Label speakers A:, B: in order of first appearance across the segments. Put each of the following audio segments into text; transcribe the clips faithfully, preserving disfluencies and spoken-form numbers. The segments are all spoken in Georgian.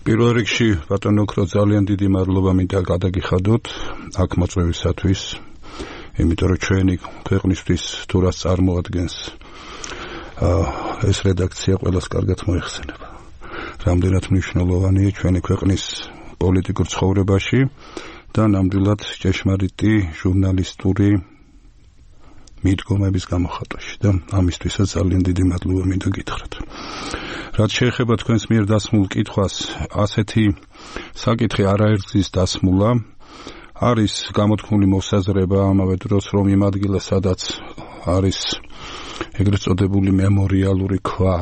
A: პირველ რიგში ბატონო ოქრო ძალიან დიდი მადლობა მინდა გადაგიხადოთ აქ მოწვევისათვის, იმიტომ რომ ჩვენი ქვეყნისთვის თუ რას წარმოადგენს ეს რედაქცია ყველას კარგად მოიხსენება. რამდენად მნიშვნელოვანია ჩვენი ქვეყნის პოლიტიკურ ცხოვრებაში და ნამდვილად ჭეშმარიტი ჟურნალისტური მიდგომების გამოხატვაში და ამისთვისაც ძალიან დიდი მადლობა მინდა გითხრათ. რაც შეეხება თქვენს მიერ დასმულ კითხვას, ასეთი საკითხი არაერთგზის დასმულა არის გამოთქმული მოსაზრება ამავე დროს, რომ იმ ადგილას, სადაც არის ეგრეთ წოდებული მემორიალური ქვა,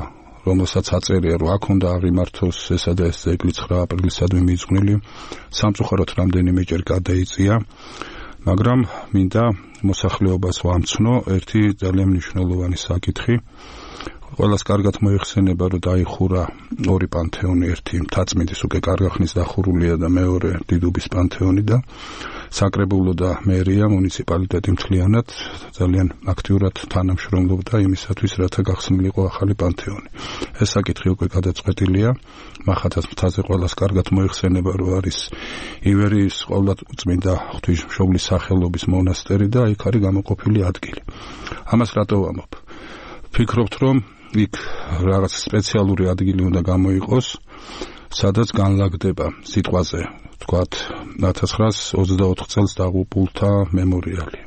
A: რომელსაც აწერია, რომ აქ უნდა აღიმართოს ესა და ეს ძეგლი ცხრა აპრილისადმი მიძღვნილი, სამწუხაროდ რამდენიმეჯერ გადაიწია, მაგრამ მინდა მოსახლეობას ვამცნო ერთი ძალიან მნიშვნელოვანი საკითხი. ყველას კარგად მოიხსენება, რომ დაიხურა ორი პანთეონი, ერთი მთაწმინდის უკვე კარგა ხნის დახურულია და მეორე დიდუბის პანთეონი და საკრებულო და მერია მუნიციპალიტეტი მთლიანად ძალიან აქტიურად თანამშრომლობდა იმისათვის, რათა გახსნილიყო ახალი პანთეონი. ეს საკითხი უკვე გადაწყვეტილია, მახათას მთაზე ყველას კარგად მოიხსენება, რომ არის ივერიის ყოვლადწმინდა ღვთისმშობლის სახელობის მონასტერი და იქ არის გამოყოფილი ადგილი. ამას რატო ვამბობ? ვფიქრობთ, რომ იქ რაღაც სპეციალური ადგილი უნდა გამოიყოს, სადაც განლაგდება სიტყვაზე, თქვათ, ათას ცხრაას ოცდაოთხ წელს დაღუპულთა მემორიალი.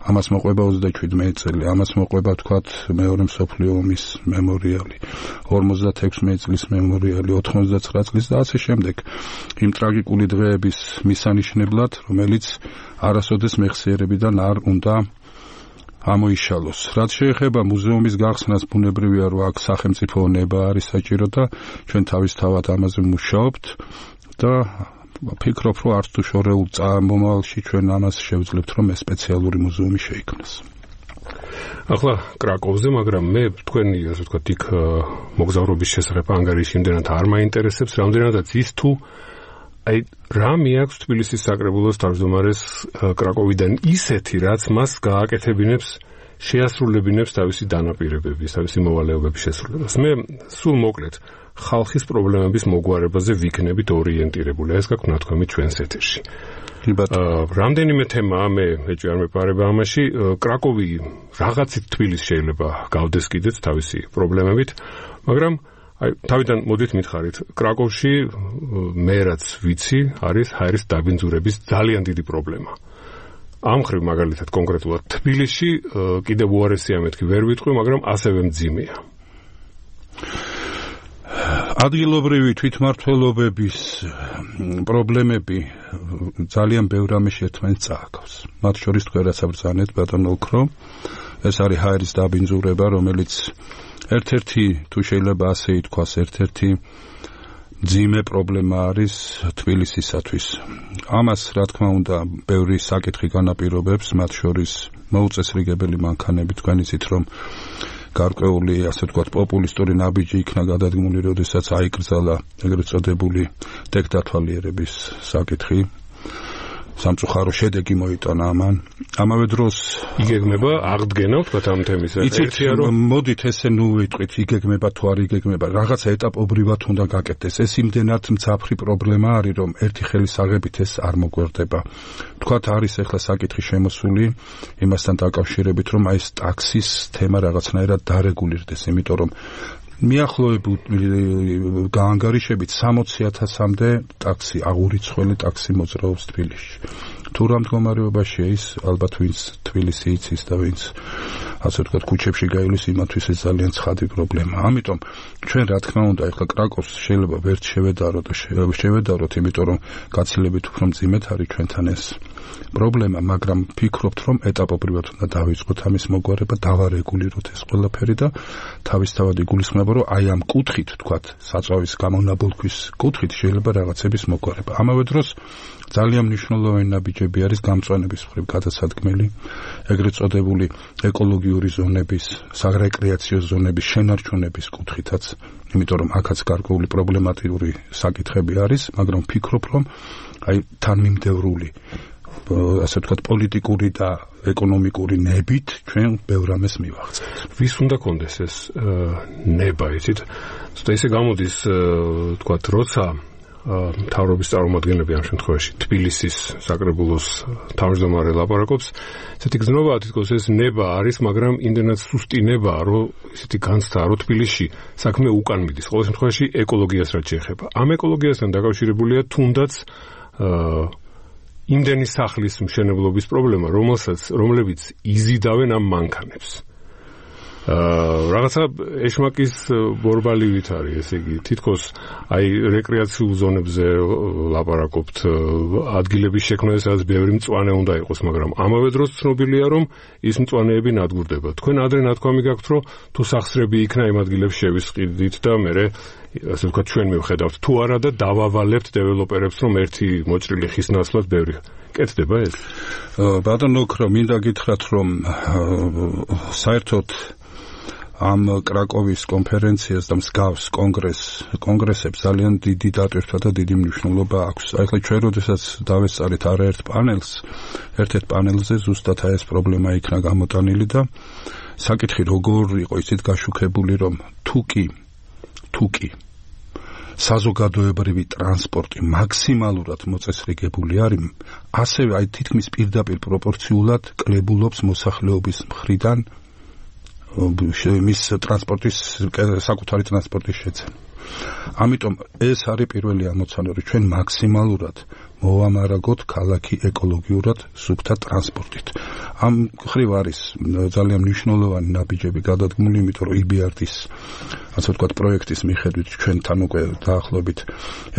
A: ამას მოყვება ოცდაჩვიდმეტი წელი, ამას მოყვება, თქვათ, მეორე მსოფლიო ომის მემორიალი, ორმოცდათექვსმეტი წლის მემორიალი, ოთხმოცდაცხრა წლის და ასე შემდეგ. იმ ტრაგიკული დღეების მისანიშნებლად, რომელიც არასოდეს მეხსიერებიდან არ უნდა ამოიშალოს. რაც შეეხება მუზეუმის გახსნას, ბუნებრივია, რომ აქ სახელმწიფო ნება არის საჭირო და ჩვენ თავისთავად ამაზე ვმუშაობთ და ვფიქრობ, რომ არც თუ შორეულ მომავალში ჩვენ ამას შევძლებთ, რომ ეს სპეციალური მუზეუმი შეიქმნას.
B: ახლა კრაკოვზე, მაგრამ მე თქვენი, ასე ვთქვათ, იქ მოგზაურობის შესახებ ანგარიში იმდენად არ მაინტერესებს, რამდენადაც ის თუ აი რა მიაქვს თბილისის საკრებულოს თავმჯდომარეს კრაკოვიდან ისეთი, რაც მას გააკეთებინებს, შეასრულებინებს თავისი დანაპირებების, თავისი მოვალეობების შესრულებას. მე სულ მოკლედ ხალხის პრობლემების მოგვარებაზე ვიქნებით ორიენტირებული. ეს გაქვთ ნათქვამი ჩვენს ეთერში. რამდენიმე თემაა, მე ეჭვი არ მეპარება ამაში. კრაკოვი რაღაცით თბილისს შეიძლება გავდეს კიდეც თავისი პრობლემებით, მაგრამ აი თავიდან მოდით მითხარით, კრაკოვში მე რაც ვიცი, არის ჰაერის დაბინძურების ძალიან დიდი პრობლემა. ამ ხრივ მაგალითად კონკრეტულად თბილისში კიდევ უარესია მეთქი ვერ ვიტყვი, მაგრამ ასევე მძიმეა.
A: ადგილობრივი თვითმმართველობების პრობლემები ძალიან ბევრ რამეში ერთმანეთს წააგავს. მათ შორის თქვენ რაც აბრძანეთ, ბატონო ოქრო, ეს არის ჰაერის დაბინძურება, რომელიც ერთ-ერთი, თუ შეიძლება ასე ითქვას, ერთ-ერთი მძიმე პრობლემა არის თბილისისათვის. ამას, რა თქმა უნდა, ბევრი საკითხი განაპირობებს, მათ შორის მოუწესრიგებელი მანქანები. თქვენ იცით, რომ გარკვეული, ასე ვთქვათ, პოპულისტური ნაბიჯი იქნა გადადგმული, როდესაც აიკრძალა ეგრეთ წოდებული დექტატვალიერების საკითხი. სამწუხარო შედეგი მოიტანა ამან. ამავე დროს
B: იგეგმება აღდგენა, ვთქვათ, ამ თემის.
A: იცით, მოდით ესე ნუ ვიტყვით, იგეგმება თუ არ იგეგმება, რაღაცა ეტაპობრივად უნდა გაკეთდეს. ეს იმდენად მძაფრი პრობლემა არის, რომ ერთი ხელის აღებით ეს არ მოგვერდება. ვთქვათ, არის ახლა საკითხი შემოსული იმასთან დაკავშირებით, რომ აი ეს ტაქსის თემა რაღაცნაირად დარეგულირდეს, იმიტომ რომ მიახლოებით გაანგარიშებით სამოცი ათასამდე ტაქსი, აღურიცხველი ტაქსი მოძრაობს თბილისში. თუ რა მდგომარეობაშია ის, ალბათ ვინც თბილისი იცის და ვინც ასე ვთქვათ ქუჩებში გაივლის, იმათთვის ეს ძალიან ცხადი პრობლემაა. ამიტომ ჩვენ რა თქმა უნდა ახლა კრაკოვს შეიძლება ვერ შევედაროთ და შევედაროთ, იმიტომ რომ გაცილებით უფრო მძიმედ არის ჩვენთან ეს პრობლემა, მაგრამ ვფიქრობთ, რომ ეტაპობრივად უნდა დავიწყოთ ამის მოგვარება, დავარეგულიროთ ეს ყველაფერი და თავისთავად იგულისხმება, რომ აი ამ კუთხით, თქვათ, საწვავის გამონაბოლქვის კუთხით შეიძლება რაღაცების მოგვარება. ამავე დროს ძალიან მნიშვნელოვანი ნაბიჯები არის გამწვანების მხრივ გადასადგმელი, ეგრეთ წოდებული ეკოლოგიური ზონების, სარეკრეაციო ზონების შენარჩუნების კუთხითაც, იმიტომ რომ აქაც გარკვეული პრობლემატიური საკითხები არის, მაგრამ ვფიქრობ, რომ აი თანმიმდევრული ასე ვთქვათ, პოლიტიკური და ეკონომიკური ნებით ჩვენ ბევრ რამეს მივაღწევთ.
B: ვის უნდა კონდეს ეს ნება, იცით? ცოტა ისე გამოდის, ვთქვათ, როცა მთავრობის წარმომადგენლები ამ შემთხვევაში თბილისის საკრებულოს თავმჯდომარე ლაპარაკობს, ესეთი გზნობა თითქოს ეს ნება არის, მაგრამ იმდენად სუსტი ნება, რომ ესეთი განცდა, რომ თბილისში საქმე უკან მიდის. ყოველ შემთხვევაში ეკოლოგიას რაც შეეხება. ამ ეკოლოგიასთან დაკავშირებულია თუნდაც იმდენი სახლის მშენებლობის პრობლემა, რომელსაც რომლებიც იზიდავენ ამ მანქანებს. აა რაღაცა ეშმაკის ბორბალივით არის, ესე იგი, თითქოს აი რეკრეაციულ ზონებზე ლაპარაკობთ, ადგილების შექმნა, სადაც ბევრი მწვანე უნდა იყოს, მაგრამ ამავე დროს ცნობილია, რომ ის მწვანეები ნადგურდება. თქვენ ადრე ნათქვამი გაქვთ, რომ თუ სახსრები იქნა იმ ადგილებს შევისყიდით და მე ასე ვთქვათ, ჩვენ მივხედავთ თუ არა და დავავალებთ დეველოპერებს, რომ ერთი მოჭრილი ხის ნაცვლად ბევრი კეთდება ეს.
A: ბატონო ოქრო, მინდა გითხრათ, რომ საერთოდ ამ კრაკოვის კონფერენციას და მსგავს კონგრეს კონგრესებს ძალიან დიდი დატვირთვა და დიდი მნიშვნელობა აქვს. აი ხლა ჩვენ როდესაც დავესწარით არაერთ პანელს, ერთ-ერთ პანელზე ზუსტად აი ეს პრობლემა იქნა გამოტანილი და საკითხი როგორ იყო ისეთ გაშუქებული, რომ თუკი თუკი საზოგადოებრივი ტრანსპორტი მაქსიმალურად მოწესრიგებული არის, ასევე აი თითქმის პირდაპირ პროპორციულად კლებულობს მოსახლეობის მხრიდან მის ტრანსპორტის საკუთარი ტრანსპორტის შეცემა. ამიტომ ეს არის პირველი ამოცანა, რომ ჩვენ მაქსიმალურად მოვამარაგოთ ქალაქი ეკოლოგიურად სუფთა ტრანსპორტით. ამ ხრივ არის ძალიან მნიშვნელოვანი ნაბიჯები გადადგმული, იმიტომ რომ ი ბი არ დის ასე ვთქვათ პროექტის მიხედვით ჩვენთან უკვე დაახლოებით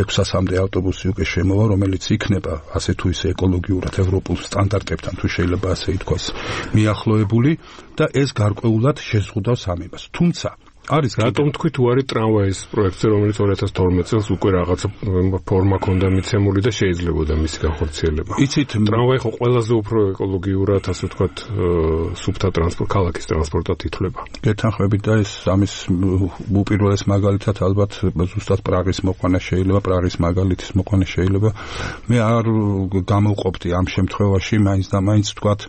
A: ექვსასამდე ავტობუსი უკვე შემოვა, რომელიც იქნება ასე თუ ისე ეკოლოგიურად ევროპულ სტანდარტებთან თუ შეიძლება ასე ითქვას მიახლოებული და ეს გარკვეულად შეზღუდავს ამებას. თუმცა არის
B: რატომ თქვი თუ არის ტრამვაის პროექტი, რომელიც ორი ათას თორმეტ წელს უკვე რაღაცა ფორმა ქონდა მიცემული და შეიძლებოდა მისი განხორციელება.
A: იცით,
B: ტრამვაი ხო ყველაზე უფრო ეკოლოგიურად, ასე ვთქვათ, სუფთა ტრანსპორტ, ქალაქის ტრანსპორტად ითვლება.
A: გეთანხმებით და ეს ამის უპირველეს მაგალითად ალბათ ზუსტად პრაღის მოყვანა შეიძლება, პრაღის მაგალითის მოყვანა შეიძლება. მე არ გამოვყოფდი ამ შემთხვევაში მაინც და მაინც ვთქვათ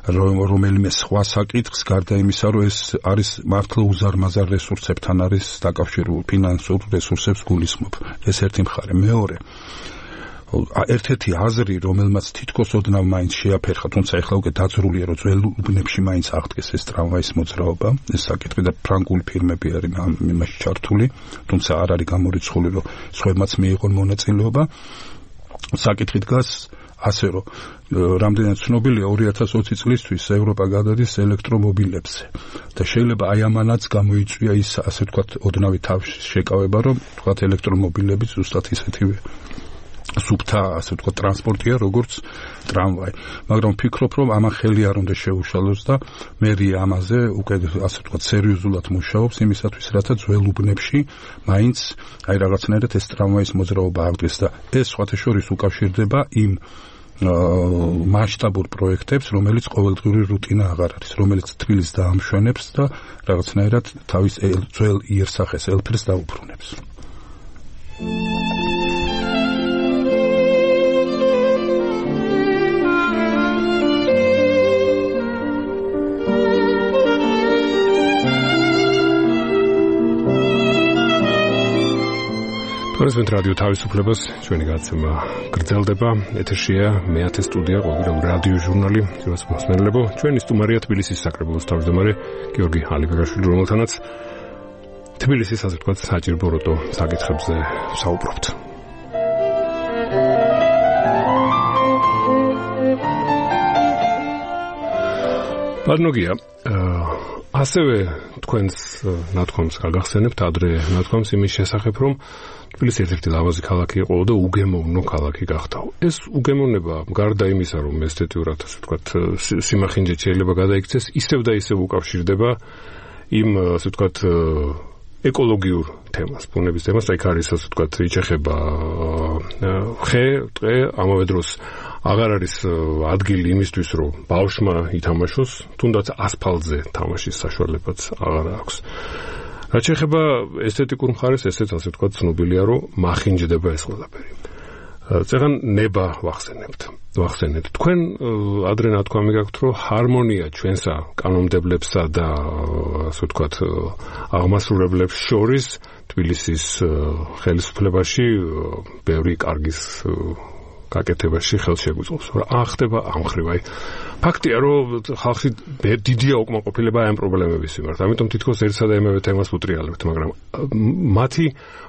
A: რომელიმე სხვა საკითხს, გარდა იმისა, რომ ეს არის მართლა უზარმაზარ რესურსებთან არის დაკავშირებული, ფინანსურ რესურსებს გულისხმობ. ეს ერთი მხარე. მეორე, ერთ-ერთი აზრი, რომელმაც თითქოს ოდნავ მაინც შეაფერხა, თუმცა ეხლა უკვე დაძრულია, რომ ძველ უბნებში მაინც აღდგეს ეს ტრამვაის მოძრაობა, ეს საკითხი და ფრანგული ფირმები არის ამ იმაში ჩართული, თუმცა არ არის გამორიცხული, რომ სხვებმაც მიიღონ მონაწილეობა. საკითხი დგას ასე რომ რამდენად ცნობილია ორი ათას ოცი წლისთვის ევროპა გადადის ელექტრომობილებზე და შეიძლება აი ამანაც გამოიწვია ის ასე ვთქვათ ოდნავი თავში შეკავება, რომ ვთქვათ ელექტრომობილები ზუსტად ისეთივე სუფთა ასე ვთქვათ ტრანსპორტია როგორც ტრამვაი, მაგრამ ვფიქრობ, რომ ამან ხელი არ უნდა შეუშალოს და მერია ამაზე უკვე ასე ვთქვათ სერიოზულად მუშაობს იმისათვის, რათა ძველ უბნებში მაინც აი რაღაცნაირად ეს ტრამვაის მოძრაობა აღდგეს და ეს სხვათა შორის უკავშირდება იმ მასშტაბურ პროექტებს, რომელიც ყოველდღიური რუტინა აღარ არის, რომელიც თბილისს დაამშვენებს და რაღაცნაირად თავის ძველ იერსახეს ელფერს დაუბრუნებს.
B: თორემ რადიო თავისუფლებას ჩვენი გადაცემა გრძელდება. ეთერშია მეათე სტუდია, ყოველდღიური რადიო ჟურნალი, ძვირას მოსმენელებო. ჩვენი სტუმარია თბილისის საკრებულოს თავმჯდომარე გიორგი ალიბეგაშვილი, რომელთანაც თბილისის ასე ვთქვათ საჭირობროტო საკითხებზე საუბრობთ. ბატონოგია, ასევე თქვენს ნათქვამს გაგახსენებთ, ადრე ნათქვამს იმის შესახებ, რომ თბილისი ერთ-ერთი ლამაზი ქალაქი იყო და უგემოვნო ქალაქი გახდა. ეს უგემოვნება გარდა იმისა, რომ ესთეტიურად ასე ვთქვათ სიმახინჯე შეიძლება გადაიქცეს, ისევ და ისევ უკავშირდება იმ ასე ვთქვათ ეკოლოგიურ თემას, ბუნების თემას, აი არის ასე ვთქვათ იჩეხება ხე, ტყე, ამავე დროს აღარ არის ადგილი იმისთვის, რომ ბავშვმა ითამაშოს, თუნდაც ასფალტზე თამაშის საშუალებაც აღარ აქვს. რაც შეეხება ესთეტიკურ მხარეს, ესეც ასე ვთქვათ ცნობილია, რომ მახინჯდება ეს ყველაფერი. წეგან ნება ვახსენებთ. ვახსენეთ. თქვენ ადრე ნათქვამი გაქვთ, რომ ჰარმონია ჩვენსა კანონმდებლებსა და ასე ვთქვათ აღმასრულებლებს შორის თბილისის ხელისუფლებაში ბევრი კარგის გაკეთებაში ხელშეგვიწყობს. რა ხდება ამ ხრივ? აი ფაქტია, რომ ხალხი დიდია უკმაყოფილება ამ პრობლემების მიმართ. ამიტომ თითქოს ერთსა და იმავე თემას უტრიალებთ, მაგრამ მათი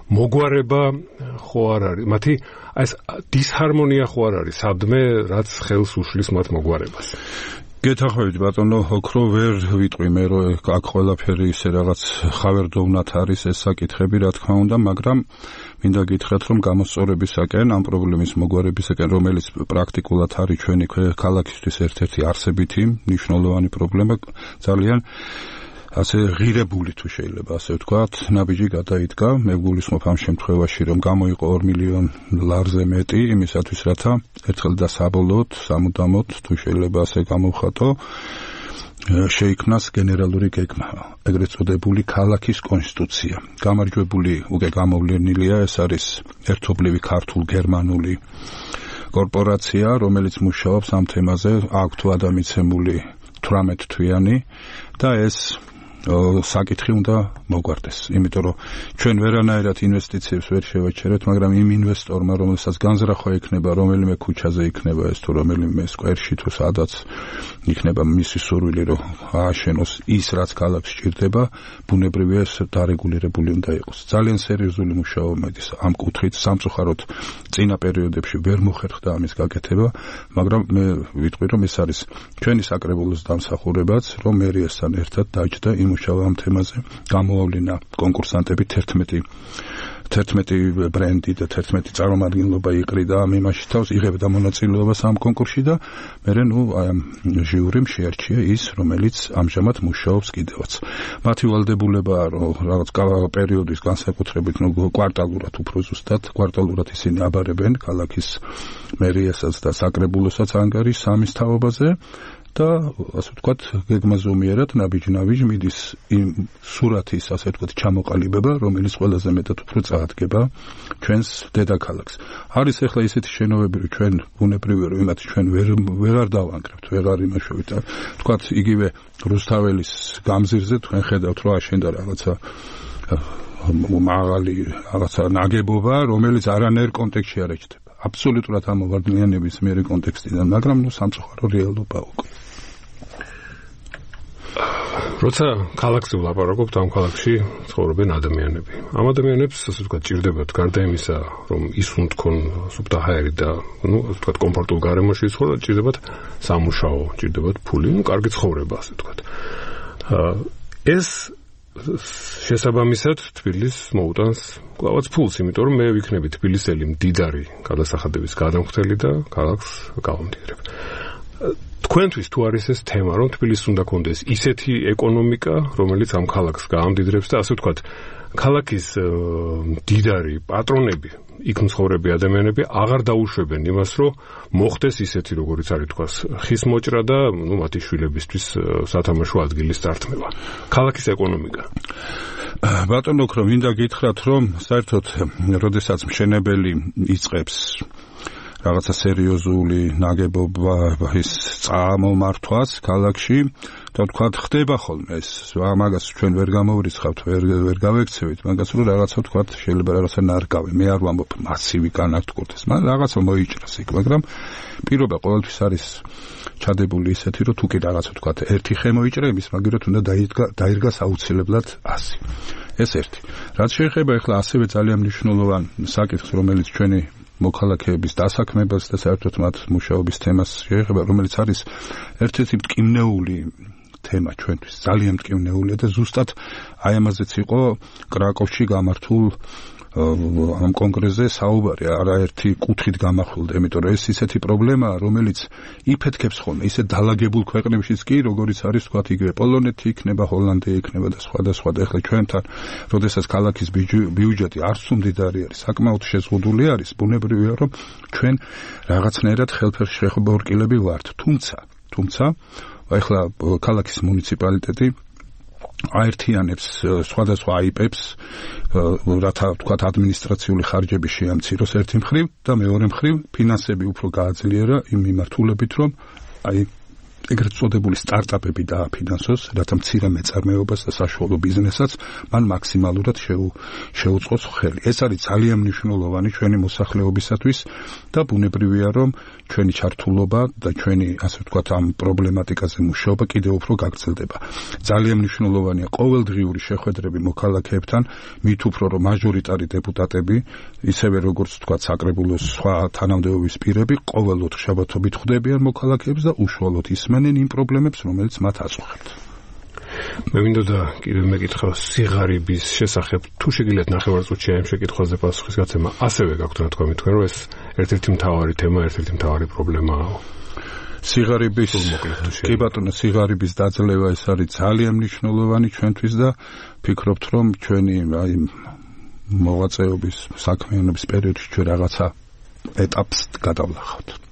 B: მოგვარება ხო არ არის? მათი ეს დისჰარმონია ხო არ არის? სადმე რაც ხელს უშლის მათ მოგვარებას.
A: გეთახმებით ბატონო, ოქრო ვერ ვიტყვი მე, რომ აქ ყველაფერი ისე რაღაც ხავერდოვნად არის ეს საკითხები, რა თქმა უნდა, მაგრამ მინდა გითხრათ, რომ გამოსწორებისაკენ, ამ პრობლემის მოგვარებისაკენ, რომელიც პრაქტიკულად არის ჩვენი ქალაქისთვის ერთ-ერთი არსებითი მნიშვნელოვანი პრობლემა, ძალიან ასე ღირებული თუ შეიძლება ასე ვთქვათ, ნაბიჯი გადაიდგა. მე გულისხმობ ამ შემთხვევაში, რომ გამოიყო ორ მილიონ ლარზე მეტი იმისათვის, რათა ერთხელ და საბოლოოდ, სამუდამოდ თუ შეიძლება ასე გამოვხატო, შეიქმნას გენერალური გეგმა, ეგრეთ წოდებული ქალაქის კონსტიტუცია. გამარჯვებული უკვე გამოვლენილია, ეს არის ერთობლივი ქართულ-გერმანული კორპორაცია, რომელიც მუშაობს ამ თემაზე, აქვთ ადამიანმიცემული თვრამეტ თვიანი და ეს საკითხი უნდა მოგვარდეს, იმიტომ რომ ჩვენ ვერანაირად ინვესტიციებს ვერ შევაჩერებთ, მაგრამ იმ ინვესტორმა, რომელსაც განზრახვა იქნება, რომელიმე ქუჩაზე იქნება ეს თუ რომელიმე სკვერში თუ სადაც იქნება მისი სურვილი, რომ ააშენოს ის, რაც ქალაქს სჭირდება, ბუნებრივია ეს დარეგულირებული უნდა იყოს. ძალიან სერიოზული მუშაობა ის ამ კუთხით, სამწუხაროდ წინა პერიოდებში ვერ მოხერხდა ამის გაკეთება, მაგრამ მე ვიტყვი, რომ ეს არის ჩვენი საკრებულოს დამსახურებაც, რომ მერიასთან ერთად დაჯდა იმ მუშაობა ამ თემაზე, გამოავლინა კონკურსანტები თერთმეტი თერთმეტი ბრენდი და თერთმეტი წარმომადგენლობა იყრიდა ამ იმაში თავს, იღებდა მონაწილეობას ამ კონკურსში და მერე ნუ აი ამ ჟიურიმ შეარჩია ის, რომელიც ამჟამად მუშაობს კიდევაც. მათი ვალდებულებაა, რომ რაღაც პერიოდის განსაკუთრებით ნუ კვარტალურად უფრო ზუსტად, კვარტალურად ისინი აბარებენ ქალაქის მერიასაც და საკრებულოსაც ანგარის სამის თაობაზე. და ასე ვთქვათ, გეგმაზომიერად ნაბიჯ-ნაბიჯ მიდის იმ სურათის, ასე ვთქვათ, ჩამოყალიბება, რომელიც ყველაზე მეტად უფრო წაადგება ჩვენს დედაქალაქს. არის ახლა ისეთი შენობები, რომ ჩვენ ბუნებრივია, რომ იმათ ჩვენ ვერ ვერ არ დავანგრევთ, ვერ არ იმაშვებით. ვთქვათ, იგივე რუსთაველის გამზირზე თქვენ ხედავთ, რომ აშენდა რაღაცა მაღალი რაღაცა ნაგებობა, რომელიც არანაირ კონტექსტში არ ეჩდება. აბსოლუტურად ამოვარდნილია ნებისმიერი კონტექსტიდან, მაგრამ ნუ სამწუხარო რეალობა უკვე.
B: როცა ქალაქზე ვლაპარაკობთ, ამ ქალაქში ცხოვრობენ ადამიანები. ამ ადამიანებს, ასე ვთქვათ, ჭირდებათ გარდა იმისა, რომ ისუნ თქვენ სუბტაჰაერი და, ну, ასე ვთქვათ, კომფორტულ გარემოში ცხოვრობენ, ჭირდებათ სამუშაო, ჭირდებათ ფული, ну, კარგი ცხოვრება, ასე ვთქვათ. ეს შესაბამისად თბილისს მოუტანს კლავაც ფულს, იმიტომ რომ მე ვიქნები თბილისელი მდიდარი გადასახადების გადამხდელი და ქალაქს გავამდიდრებ. თქვენთვის თუ არის ეს თემა, რომ თბილისს უნდა კონდეს ისეთი ეკონომიკა, რომელიც ამ ქალაქს გაამდიდრებს და ასე ვთქვათ, ქალაქის მდიდარი პატრონები, იქ მცხოვრები ადამიანები აღარ დაუშვებენ იმას, რომ მოხდეს ისეთი, როგორც არის თქვას, ხის მოჭრა და ნუ მათი შვილებისთვის სათამაშო ადგილის დართმევა. ქალაქის ეკონომიკა.
A: ბატონო ოქრო, მინდა გითხრათ, რომ საერთოდ, როდესაც მშენებელი იწყებს რაღაცა სერიოზული ნაგებობა ის წამომართვას ქალაქში, და თქვა ხდება ხოლმე ეს, მაგას ჩვენ ვერ გამოვრიცხავთ, ვერ ვერ გავექცევით, მაგას რომ რაღაცა თქვა შეიძლება რაღაცა ნარგავი, მე არ ვამბობ მასივი განართკურდეს, მაგრამ რაღაცა მოიჭრას იქ, მაგრამ პირობა ყოველთვის არის ჩადებული ისეთი, რომ თუ კი რაღაცა თქვა ერთი ხე მოიჭრა იმის, მაგიროთ უნდა დაიდგა დაირგას აუცილებლად ასი. ეს ერთი. რაც შეეხება ახლა ასევე ძალიან მნიშვნელოვან საკითხს, რომელიც ჩვენი მოქალაქეების დასაქმებას და საერთოდ მათ მუშაობის თემას შეეხება, რომელიც არის ერთ-ერთი მტკივნეული თემა ჩვენთვის, ძალიან მტკივნეულია და ზუსტად აი ამაზეც იყო კრაკოვში გამართულ ამ კონგრესზე საუბარი, არაერთი კუთხით გამახვილდა, იმიტომ რომ ეს ისეთი პრობლემაა, რომელიც იფეთქებს ხოლმე ისე დალაგებულ ქვეყნებშიც კი, როგორიც არის თქვათ იგივე პოლონეთი იქნება, ჰოლანდია იქნება და სხვა და სხვა. და ახლა ჩვენთან, როდესაც ქალაქის ბიუჯეტი არც თუ მდიდარი არის, საკმაოდ შეზღუდული არის, ბუნებრივია, რომ ჩვენ რაღაცნაირად ხელფეხშეხბორკილები ვართ. თუმცა, თუმცა, ახლა ქალაქის მუნიციპალიტეტი აერთიანებს სხვადასხვა აიპებს, რათა თქვათ ადმინისტრაციული ხარჯები შეამციროს ერთი მხრივ და მეორე მხრივ ფინანსები უფრო გააძლიერა იმ მიმართულებით, რომ აი ეგრეთ წოდებული სტარტაპები დააფინანსოს, რათა მცირე მეწარმეობას და საშუალო ბიზნესაც მან მაქსიმალურად შეუწყოს ხელი. ეს არის ძალიან მნიშვნელოვანი ჩვენი მოსახლეობისათვის და ბუნებრივია, რომ ჩვენი ჩართულობა და ჩვენი, ასე ვთქვათ, ამ პრობლემატიკაზე მუშაობა კიდევ უფრო გაგრძელდება. ძალიან მნიშვნელოვანია ყოველდღიური შეხვედრები მოქალაქეებთან, მით უფრო რომ მაჟორიტარი დეპუტატები, ისევე როგორც ვთქვათ, საკრებულოს სხვა თანამდებობის პირები ყოველ ოთხშაბათობით ხვდებიან მოქალაქეებს და უშუალოდ ისმენენ იმ პრობლემებს, რომელიც მათ აწუხებთ.
B: მე მინდოდა კიდევ მეკითხა სიღარიბის შესახებ, თუ შეგიძლიათ ნახევარწუთში ამ შეკითხვაზე პასუხის გაცემა, ასევე გაქვთ რა თქვა თქვენ, რომ ეს ერთ-ერთი მთავარი თემა, ერთ-ერთი მთავარი პრობლემაა.
A: სიღარიბის კი ბატონო, სიღარიბის დაძლევა ეს არის ძალიან მნიშვნელოვანი ჩვენთვის და ფიქრობთ, რომ ჩვენი აი მოღვაწეობის საქმიანობის პერიოდში ჩვენ რაღაცა ეტაპს გადავლახავთ.